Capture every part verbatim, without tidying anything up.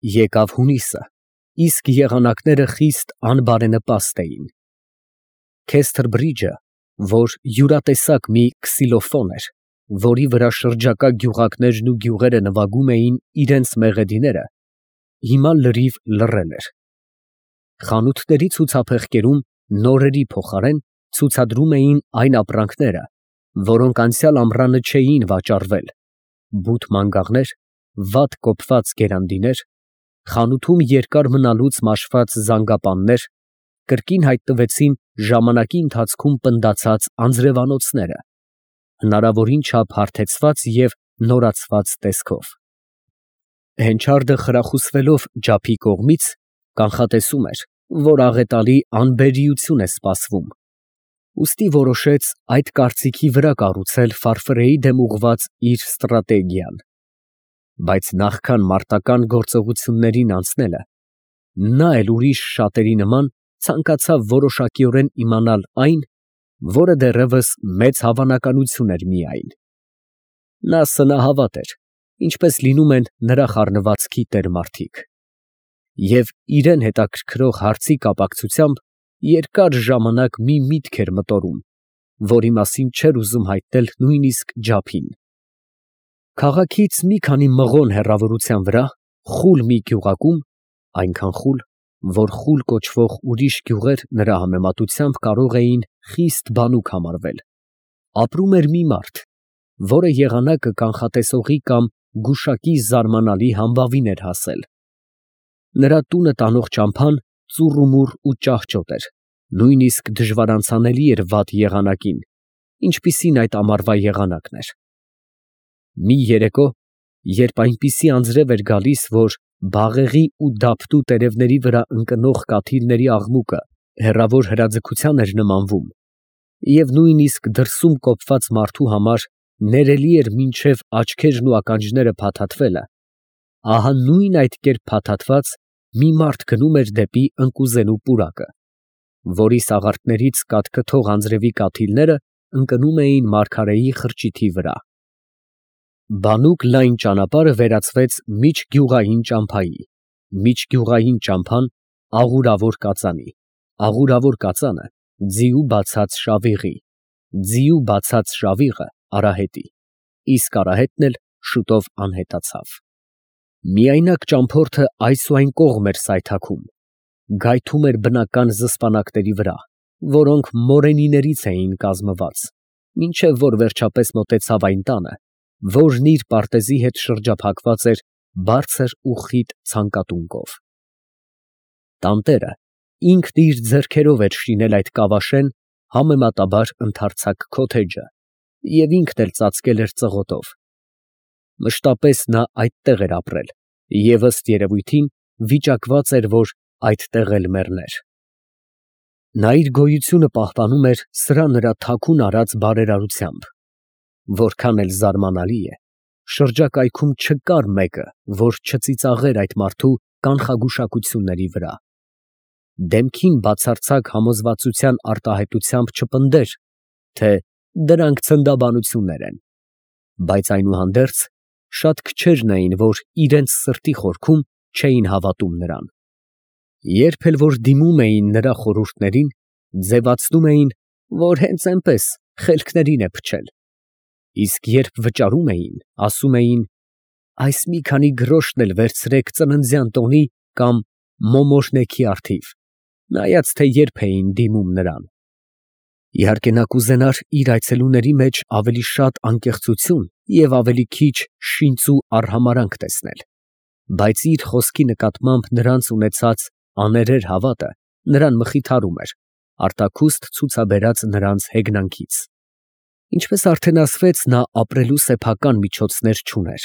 Եկավ հունիսը, իսկ եղանակները խիստ անբարենպաստ էին. Քեսթր բրիջը, որ յուրատեսակ մի քսիլոֆոն էր, որի վրա շրջակա գյուղակներն ու գյուղերը նվագում էին իրենց մեղեդիները, հիմա լրիվ լռել էր. խանութների ցուցափեղկերում նորերի փոխարեն ցուցադրում էին այն ապրանքները, որոնք անցյալ ամռանը չէին վաճառվել, բութ մանգաղներ, վատ կոփված գերանդիներ, խանութում երկար մնալուց մաշված զանգապաններ, կրկին հայտնվեցին ժամանակի ընթացքում պնդացած անձրևանոցները, հնարավորին չափ հարթեցված և նորացված տեսքով։ Հենչարդը խրախուսվելով ջափի կողմից, կանխատեսում էր, որ աղետալի անբերիություն է սպասվում, ուստի որոշեց այդ կարծիքի վրա կառուցել Ֆարֆրեի դեմ ուղղված իր ստրատեգիան, բայց նախքան մարտական գործողություններին անցնելը, նա էլ ուրիշ շատերի նման ցանկացավ որոշակիորեն իմանալ այն, որը դեռևս մեծ հավանականություն էր միայն. նա սնահավատ էր, ինչպես լինում են նրա խառնվածքի տեր֊մարդիկ, և իրան հետաքրքրող հարցի կապակցությամբ երկար ժամանակ մի միտք էր մտորում, որի մասին չէր ուզում հայտնել նույնիսկ ջափին։ Քաղաքից մի քանի մղոն հեռավորության վրա, խուլ մի գյուղակում, այնքան խուլ, որ խուլ կոչվող ուրիշ գյուղեր նրա համեմատությամբ կարող էին խիստ բանուկ համարվել, ապրում էր մի մարդ, որը եղանակը կանխատեսողի կամ գուշակի զարմանալի համբավին էր հասել։ Նրա տունը տանող ճամփան ծուռումուռ ու ճահճոտ էր, նույնիսկ դժվարանցանելի էր վատ եղանակին, ինչպիսին այդ ամառվա եղանակն էր։ Մի երեկո, երբ այնպիսի անձրև էր գալիս, որ բաղեղի ու դափտու տերևների վրա ընկնող կաթիլների աղմուկը հեռավոր հրաձգության էր նմանվում, և նույնիսկ դրսում կոփված մարդու համար ներելի էր մինչև աչքերն ու ականջները փաթաթվելը, ահա նույն այդ կերպ փաթաթված մի մարդ գնում էր դեպի ընկուզենու պուրակը, որի սաղարթներից կաթքթող անձրևի կաթիլները ընկնում էին մարգարեի խրճիթի վրա։ Բանուկ լայն ճանապարհը վերածվեց միջգյուղային ճամփայի, միջգյուղային ճամփան աղուրավոր կածանի, աղուրավոր կածանը ձիու բացած շավիղի, ձիու բացած շավիղը արահետի, իսկ արահետն էլ շուտով անհետացավ։ Միայնակ ճամփորդը այս ու այն կողմ էր սայթաքում, գայթում էր բնական զսպանակների վրա, որոնք մորենիներից էին կազմված, մինչև որ վերջապես մոտեցավ այն տանը, որն իր պարտեզի հետ շրջափակված էր բարձր ու խիտ ցանկատունկով։ Տանտերը ինքն իր ձեռքերով էր շինել այդ կավաշեն համեմատաբար ընդարձակ քոթեջը և ինքն էլ ծածկել էր ծղոտով։ Մշտապես նա այդտեղ էր ապրել և ըստ երևույթին վիճակված էր, որ այդտեղ էլ մեռներ։ Նա իր գոյությունը պահպանում էր սրա նրա թաքուն արած բարերարությամբ, որքան էլ զարմանալի է, շրջակայքում չկար մեկը, որ չծիծաղեր այդ մարդու կանխագուշակությունների վրա։ Դեմքին բացարձակ համոզվածության արտահայտությամբ չպնդեր, թե դրանք ցնդաբանություններ են, բայց այնուհանդերձ շատ քչերն էին, որ իրենց սրտի խորքում չէին հավատում նրան։ Երբ էլ որ դիմում էին նրա խորհուրդներին, ձևացնում էին, որ հենց այնպես խելքներին է փչել, իսկ երբ վճարում էին, ասում էին. «Այս մի քանի գրոշն էլ վերցրեք ծննդյան տոնի կամ մոմոժնեքի առթիվ», նայած թե երբ էին դիմում նրան։ Իհարկե նա կուզենար իր այցելուների մեջ ավելի շատ անկեղծություն և ավելի քիչ շինծ ու արհամարհանք տեսնել, բայց իր խոսքի նկատմամբ նրանց ունեցած աներեր հավատը նրան մխիթարում էր, արտաքուստ ցուցաբերած նրանց հեգնանքից։ Ինչպես արդեն ասվեց, նա ապրելու սեփական միջոցներ չուներ։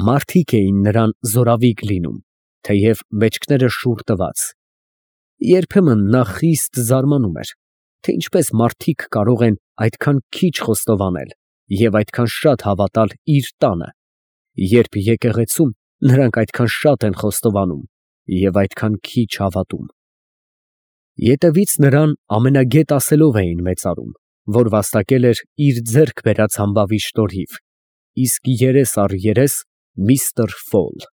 Մարդիկ էին նրան զորավիգ լինում, թեև մեջքները շուռ տված։ Երբեմն նա խիստ զարմանում էր, թե ինչպես մարդիկ կարող են այդքան քիչ խոստովանել և այդքան շատ հավատալ իր տանը, երբ եկեղեցում նրանք այդքան շատ են խոստովանում և այդքան քիչ հավատում։ Ետևից նրան ամենագետ ասելով էին մեծարում, որ վաստակել էր իր ձեռք բերած համբավի շնորհիվ, իսկ երես առ երես միստր Ֆոլ։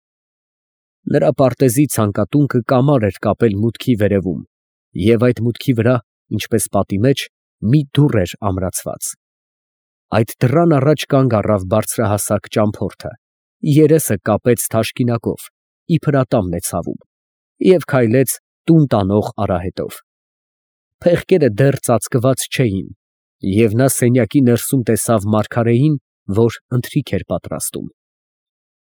Նրա պարտեզի ցանկատունքը կամար էր կապել մուտքի վերևում, և այդ մուտքի վրա, ինչպես պատի մեջ, մի դուռ էր ամրացված։ Այդ դռան առաջ կանգ առավ բարձրահասակ ճամփորդը, երեսը կապեց թաշկինակով, իբր ատամն է ցավում, և քայլեց տուն տանող արահետով։ Փեղկերը դեռ ծածկված չէին, և նա սենյակի ներսում տեսավ մարգարեին, որ ընթրիք էր պատրաստում։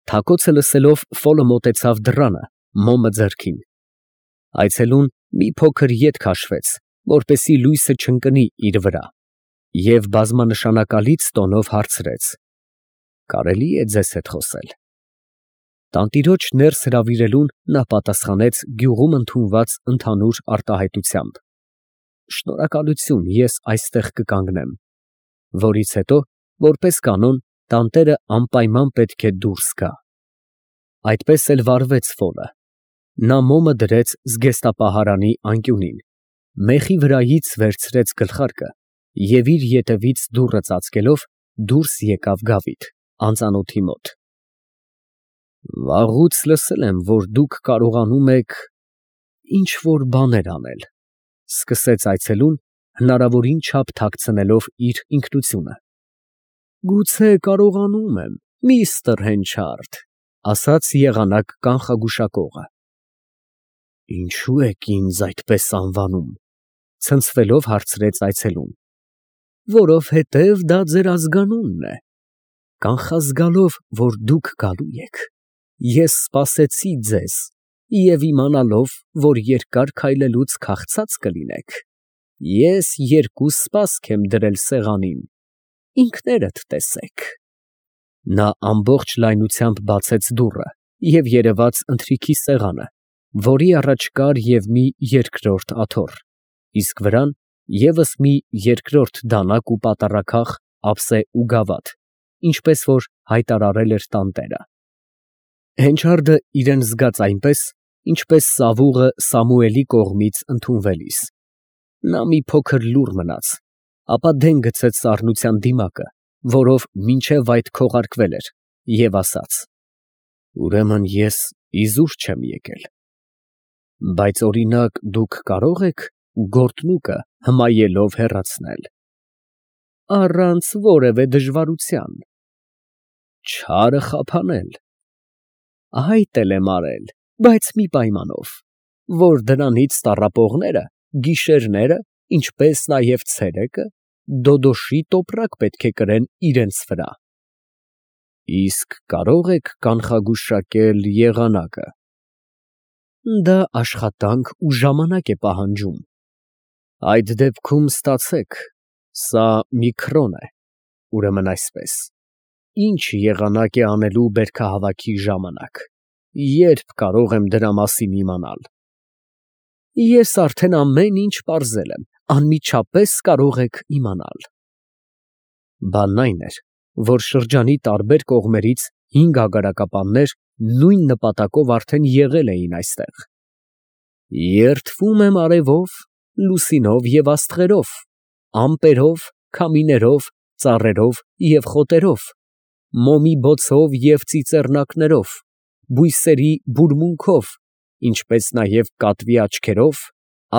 Թակոցը լսելով, Ֆոլը մոտեցավ դռանը, մոմը ձեռքին։ Այցելուն մի փոքր ետ քաշվեց, որպեսզի լույսը չընկնի իր վրա, և բազմանշանակալից տոնով հարցրեց. «Կարելի է ձեզ հետ խոսել»։ Տանտիրոջ ներս հրավիրելուն նա պատասխանեց գյուղում ընդունված ընդհանուր արտահայտությամբ. «Շնորհակալություն, ես այստեղ կկանգնեմ», որից հետո, որպես կանոն, տանտերը անպայման պետք է դուրս գա։ Այդպես էլ վարվեց Ֆոլը։ Նա մոմը դրեց զգեստապահարանի անկյունին, մեխի վրայից վերցրեց գլխարկը և իր ետևից դուռը ծածկելով դուրս եկավ գավիթ, անծանոթի մոտ։ «Վաղուց լսել եմ, որ դուք կարողանում եք ինչ֊որ բաներ անել», ֊ սկսեց այցելուն, հնարավորին չափ թաքցնելով իր ինքնությունը։ «Գուցե կարողանում եմ, միստր Հենչարդ», ֊ ասաց եղանակ կանխագուշակողը։ «Ինչո՞ւ եք ինձ այդպես անվանում», ֊ ցնցվելով հարցրեց այցելուն։ «Որովհետև դա ձեր ազգանունն է։ Կանխազգալով, որ դուք գալու եք, ես սպասեցի ձեզ և իմանալով, որ երկար քայլելուց քաղցած կլինեք, ես երկու սպասք եմ դրել սեղանին, ինքներդ տեսեք»։ Նա ամբողջ լայնությամբ բացեց դուռը և երևաց ընթրիքի սեղանը, որի առաջ կար և մի երկրորդ աթոռ, իսկ վրան ևս մի երկրորդ դանակ ու պատառաքաղ, ափսե ու գավաթ, ինչպես որ հայտարարել էր տանտերը։ Հենչարդը իրան զգաց այնպես, ինչպես սավուղը Սամուելի կողմից ընդունվելիս։ Նա մի փոքր լուռ մնաց, ապա դեն գցեց սառնության դիմակը, որով մինչև այդ քողարկվել էր, և ասաց. «Ուրեմն ես իզուր չեմ եկել։ Բայց, օրինակ, դուք կարո՞ղ եք գորտնուկը հմայելով հեռացնել»։ «Առանց որևէ դժվարության»։ «Չարը խափանել»։ «Այդ էլ եմ արել, բայց մի պայմանով, որ դրանից տառապողները գիշերները, ինչպես նաև ցերեկը դոդոշի տոպրակ պետք է կրեն իրենց վրա»։ «Իսկ կարո՞ղ եք կանխագուշակել եղանակը»։ «Դա աշխատանք ու ժամանակ է պահանջում»։ «Այդ դեպքում ստացեք, սա մի քրոն է, ուրեմն այսպես, ի՞նչ եղանակ է անելու բերքահավաքի ժամանակ, ե՞րբ կարող եմ դրա մասին իմանալ»։ «Ես արդեն ամեն ինչ պարզել եմ, անմիջապես կարող եք իմանալ»։ Բանն այն էր, որ շրջանի տարբեր կողմերից հինգ ագարակապաններ նույն նպատակով արդեն եղել էին այստեղ։ «Երդվում եմ արևով, լուսինով և աստղերով, ամպերով, քամիներով, ծառերով և խոտերով, մոմի բոցով և ծիծեռնակներով, բույսերի բուրմունքով, ինչպես նաև կատվի աչքերով,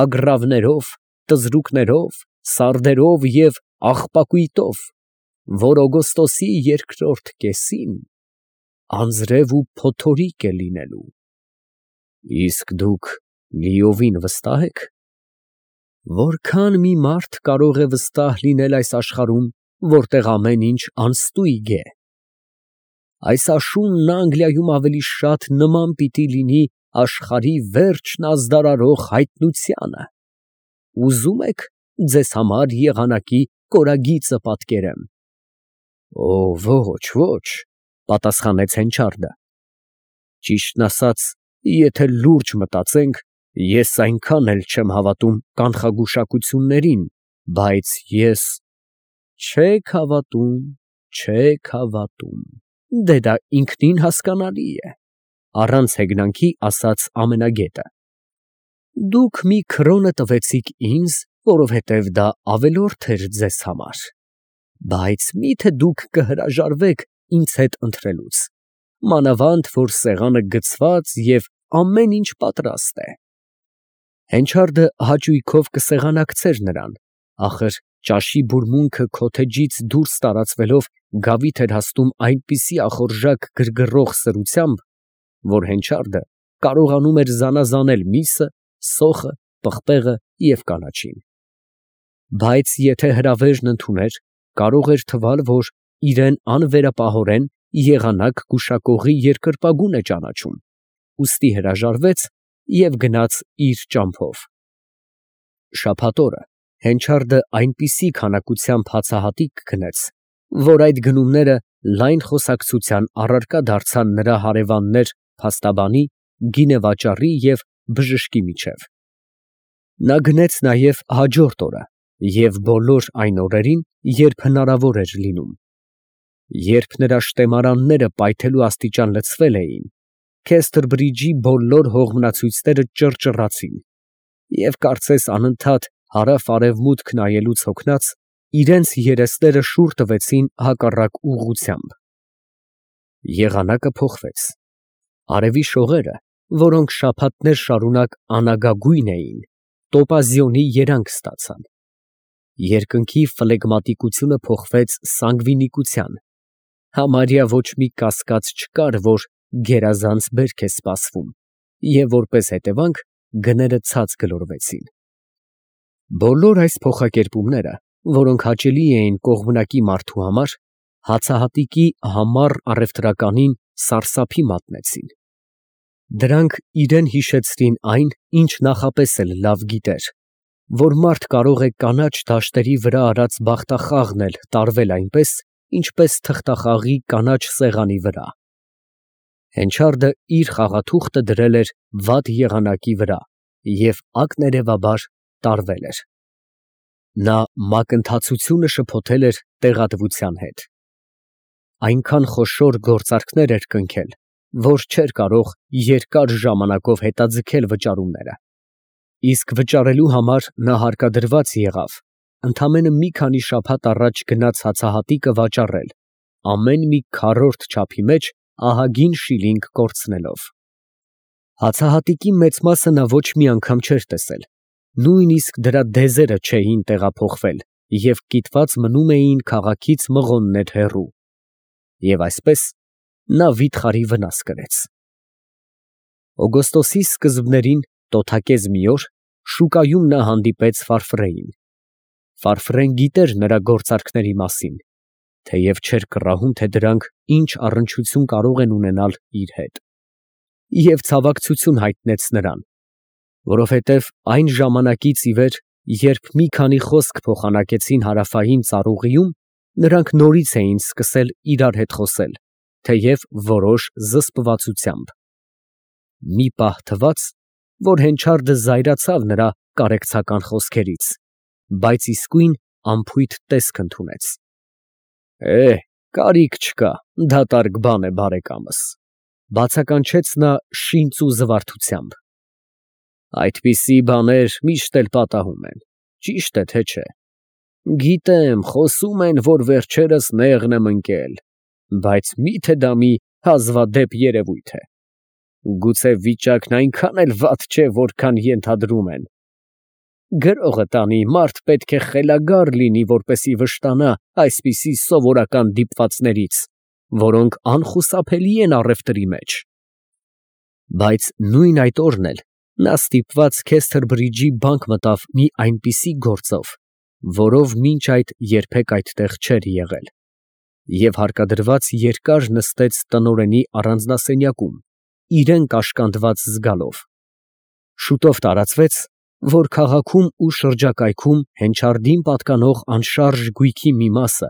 ագռավներով, տզրուկներով, սարդերով և աղպակույտով, որ օգոստոսի երկրորդ կեսին անձրև ու փոթորիկ է լինելու»։ «Իսկ դուք լիովին վստահ եք»։ «Որքան մի մարդ կարող է վստահ լինել այս աշխարհում, որտեղ ամեն ինչ անստույգ է։ Այս աշունն Անգլիայում ավելի շատ նման պիտի լինի աշխարհի վերջն ազդարարող հայտնությանը։ Ուզո՞ւմ եք ձեզ համար եղանակի կորագիծը պատկերեմ»։ «Օ, ոչ, ոչ», ֊ պատասխանեց Հենչարդը։ «Ճիշտն ասած, եթե լուրջ մտածենք, ես այնքան էլ չեմ հավատում կանխագուշակություններին, բայց ես…» «Չեք հավատում, չեք հավատում, դե դա ինքնին հասկանալի է», ֊ առանց հեգնանքի ասաց ամենագետը։ «Դուք մի քրոնը տվեցիք ինձ, որովհետև դա ավելորդ էր ձեզ համար, բայց մի՞թե դուք կհրաժարվեք ինձ հետ ընթրելուց։ մանավանդ որ սեղանը գցված և ամեն ինչ պատրաստ է։ Հենչարդը հաճույքով կսեղանակցեր նրան, ախր ճաշի բուրմունքը քոթեջից դուրս տարածվելով գավիթ էր հասնում այնպիսի ախորժակ գրգռող սրությամբ, որ Հենչարդը կարողանում էր զանազանել միսը, սոխը, պղպեղը և կանաչին։ Բայց եթե հրավերն ընդուներ, կարող էր թվալ, որ իրան անվերապահորեն եղանակ գուշակողի երկրպագուն է ճանաչում, ուստի հրաժարվեց և գնաց իր ճամփով։ Շաբաթ օրը Հենչարդը այնպիսի քանակությամբ հացահատիկ գնեց, որ այդ գնումները լայն խոսակցության առարկա դարձան նրա հարևաններ փաստաբանի, գինեվաճառի և բժշկի միջև։ Նա գնեց նաև հաջորդ օրը և բոլոր այն օրերին, երբ հնարավոր էր լինում։ Երբ նրա շտեմարանները պայթելու աստիճան լցվել էին, Քեսթրբրիջի բոլոր հողմնացույցները ճռճռացին, և կարծես անընդհատ հարավ֊արևմուտք նայելուց հոգնած, իրենց երեսները շուռ տվեցին հակառակ ուղղությամբ։ Եղանակը փոխվեց։ Արևի շողերը, որոնք շաբաթներ շարունակ անագագույն էին, տոպազիոնի երանգ ստացան։ Երկնքի ֆլեգմատիկությունը փոխվեց սանգվինիկության, համարյա ոչ մի կասկած չկար, որ գերազանց բերք է սպասվում, և որպես հետևանք գները ցած գլորվեցին։ Բոլոր այս փոխակերպումները, որոնք հաճելի էին կողմնակի մարդու համար, հացահատիկի համառ առևտրականին սարսափի մատնեցին։ Դրանք իրան հիշեցրին այն, ինչ նախապես էլ լավ գիտեր, որ մարդ կարող է կանաչ դաշտերի վրա արած բախտախաղն էլ տարվել այնպես, ինչպես թղթախաղի կանաչ սեղանի վրա։ Հենչարդը իր խաղաթուղթը դրել էր վատ եղանակի վրա և ակներևաբար տարվել էր։ Նա մակընթացությունը շփոթել էր տեղատվության հետ։ Այնքան խոշոր գործարքներ էր կնքել, որ չէր կարող երկար ժամանակով հետաձգել վճարումները, իսկ վճարելու համար նա հարկադրված եղավ ընդամենը մի քանի շաբաթ առաջ գնած հացահատիկը վաճառել, ամեն մի քառորդ չափի մեջ ահագին շիլինգ կորցնելով։ Հացահատիկի մեծ մասը նա ոչ մի անգամ չէր տեսել, նույնիսկ դրա դեզերը չէին տեղափոխվել և կիտված մնում էին քաղաքից մղոններ հեռու։ Եվ այսպես նա վիթխարի վնաս կրեց։ Օգոստոսի սկզբներին տոթակեզ մի օր շուկայում նա հանդիպեց Ֆարֆրեին։ Ֆարֆրեն գիտեր նրա գործարքների մասին, թեև չէր կռահում, թե դրանք ինչ առնչություն կարող են ունենալ իր հետ, և ցավակցություն հայտնեց նրան, որովհետև այն ժամանակից ի վեր, երբ մի քանի խոսք փոխանակեցին հարավային ծառուղիում, նրանք նորից էին սկսել իրար հետ խոսել, թեև որոշ զսպվածությամբ։ Մի պահ թվաց, որ Հենչարդը զայրացավ նրա կարեկցական խոսքերից, բայց իսկույն անփույթ տեսք ընդունեց։ «Է, կարիք չկա, դատարկ բան է, բարեկամս», ֊ բացականչեց նա շինծ ու զվարթությամբ։ «Այդպիսի բաներ միշտ էլ պատահում են, ճիշտ է թե չէ։ Գիտեմ, խոսում են, որ վերջերս նեղն եմ ընկել, բայց մի՞թե դա մի հազվադեպ երևույթ է։ Գուցե վիճակն այնքան էլ վատ չէ, որքան ենթադրում են։ Գրողը տանի, մարդ պետք է խելագար լինի, որպեսզի վշտանա այսպիսի սովորական դիպվածներից, որոնք անխուսափելի են առևտրի մեջ»։ Բայց նույն այդ օրն էլ նա ստիպված Քեսթրբրիջի բանկ մտավ մի այնպիսի գործով, որով մինչ այդ երբեք այդտեղ չէր եղել, և հարկադրված երկար նստեց տնօրենի առանձնասենյակում, իրան կաշկանդված զգալով։ Շուտով տարածվեց, որ քաղաքում ու շրջակայքում Հենչարդին պատկանող անշարժ գույքի մի մասը,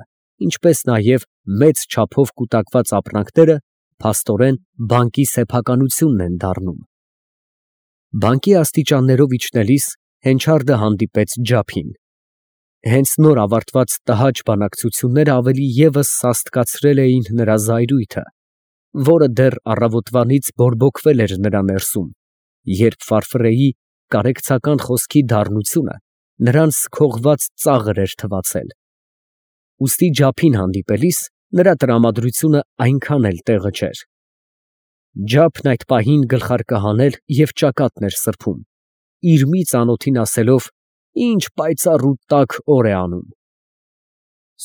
ինչպես նաև մեծ չափով կուտակված ապրանքները փաստորեն բանկի սեփականությունն են դառնում։ Բանկի աստիճաններով իջնելիս Հենչարդը հանդիպեց Ջափին։ Հենց նոր ավարտված տհաճ բանակցությունները ավելի ևս սաստկացրել էին նրա զայրույթը, որը դեռ առավոտվանից բորբոքվել էր նրա ներսում, երբ Ֆարֆրեի կարեկցական խոսքի դառնությունը նրան սքողված ծաղր էր թվացել։ Ուստի Ջափին հանդիպելիս նրա տրամադրությունը այնքան էլ տեղը չէր, Ջափն այդ պահին գլխարկը հանել և ճակատն էր սրբում, իր մի ծանոթին ասելով, ինչ պայծառ ու տաք օր է անում։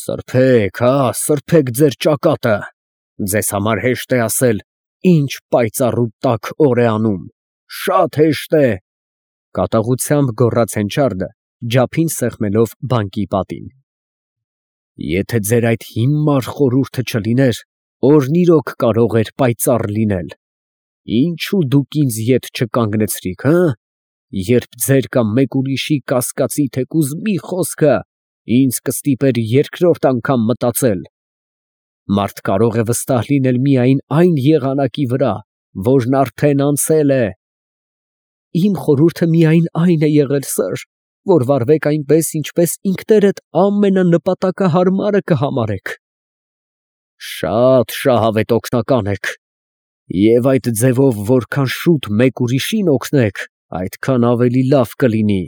Սրբեք, հա, սրբեք ձեր ճակատը, ձեզ համար հեշտ է ասել, ինչ պայծառ ու տաք օր է անում, շատ հեշտ է, կատաղությամբ գոռաց Հենչարդը, ջափին սեղմելով բանկի պատին։ Եթե ձեր այդ հիմար խորհուրդը չլիներ, օրն իրոք կարող էր պայծառ լինել, ինչու դուք ինձ ետ չկանգնեցրիք, հը, երբ ձեր կամ մեկ ուրիշի կասկածի թեկուզ մի խոսքը ինձ կստիպեր երկրորդ անգամ մտածել։ Մարդ կարող է վստահ լինել միայն այն եղանակի վրա, որն արդեն անցել է։ Իմ խորհուրդը միայն այն է եղել, սըր, որ վարվեք այնպես, ինչպես ինքներդ ամենանպատակահարմարը կհամարեք։ Շատ շահավետ օգնական եք, և այդ ձևով որքան շուտ մեկ ուրիշին օգնեք, այդքան ավելի լավ կլինի։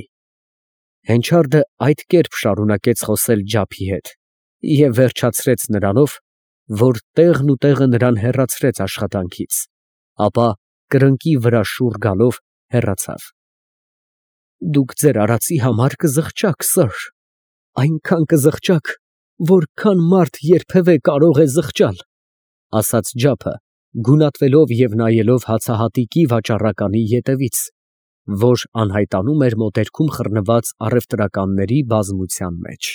Հենչարդը այդ կերպ շարունակեց խոսել ջափի հետ և վերջացրեց նրանով, որ տեղն ու տեղը նրան հեռացրեց աշխատանքից, ապա կրկնակի վրա շուռ գալով հեռացավ։ Դուք ձեր արածի համար կզղջաք, սըր, այնքան կզղջաք, որքան մարդ երբևէ կարող է զղջալ, ասաց ջափը, գունատվելով և նայելով հացահատիկի վաճառականի ետևից, որ անհայտանում էր մոտերքում խռնված առևտրականների բազմության մեջ։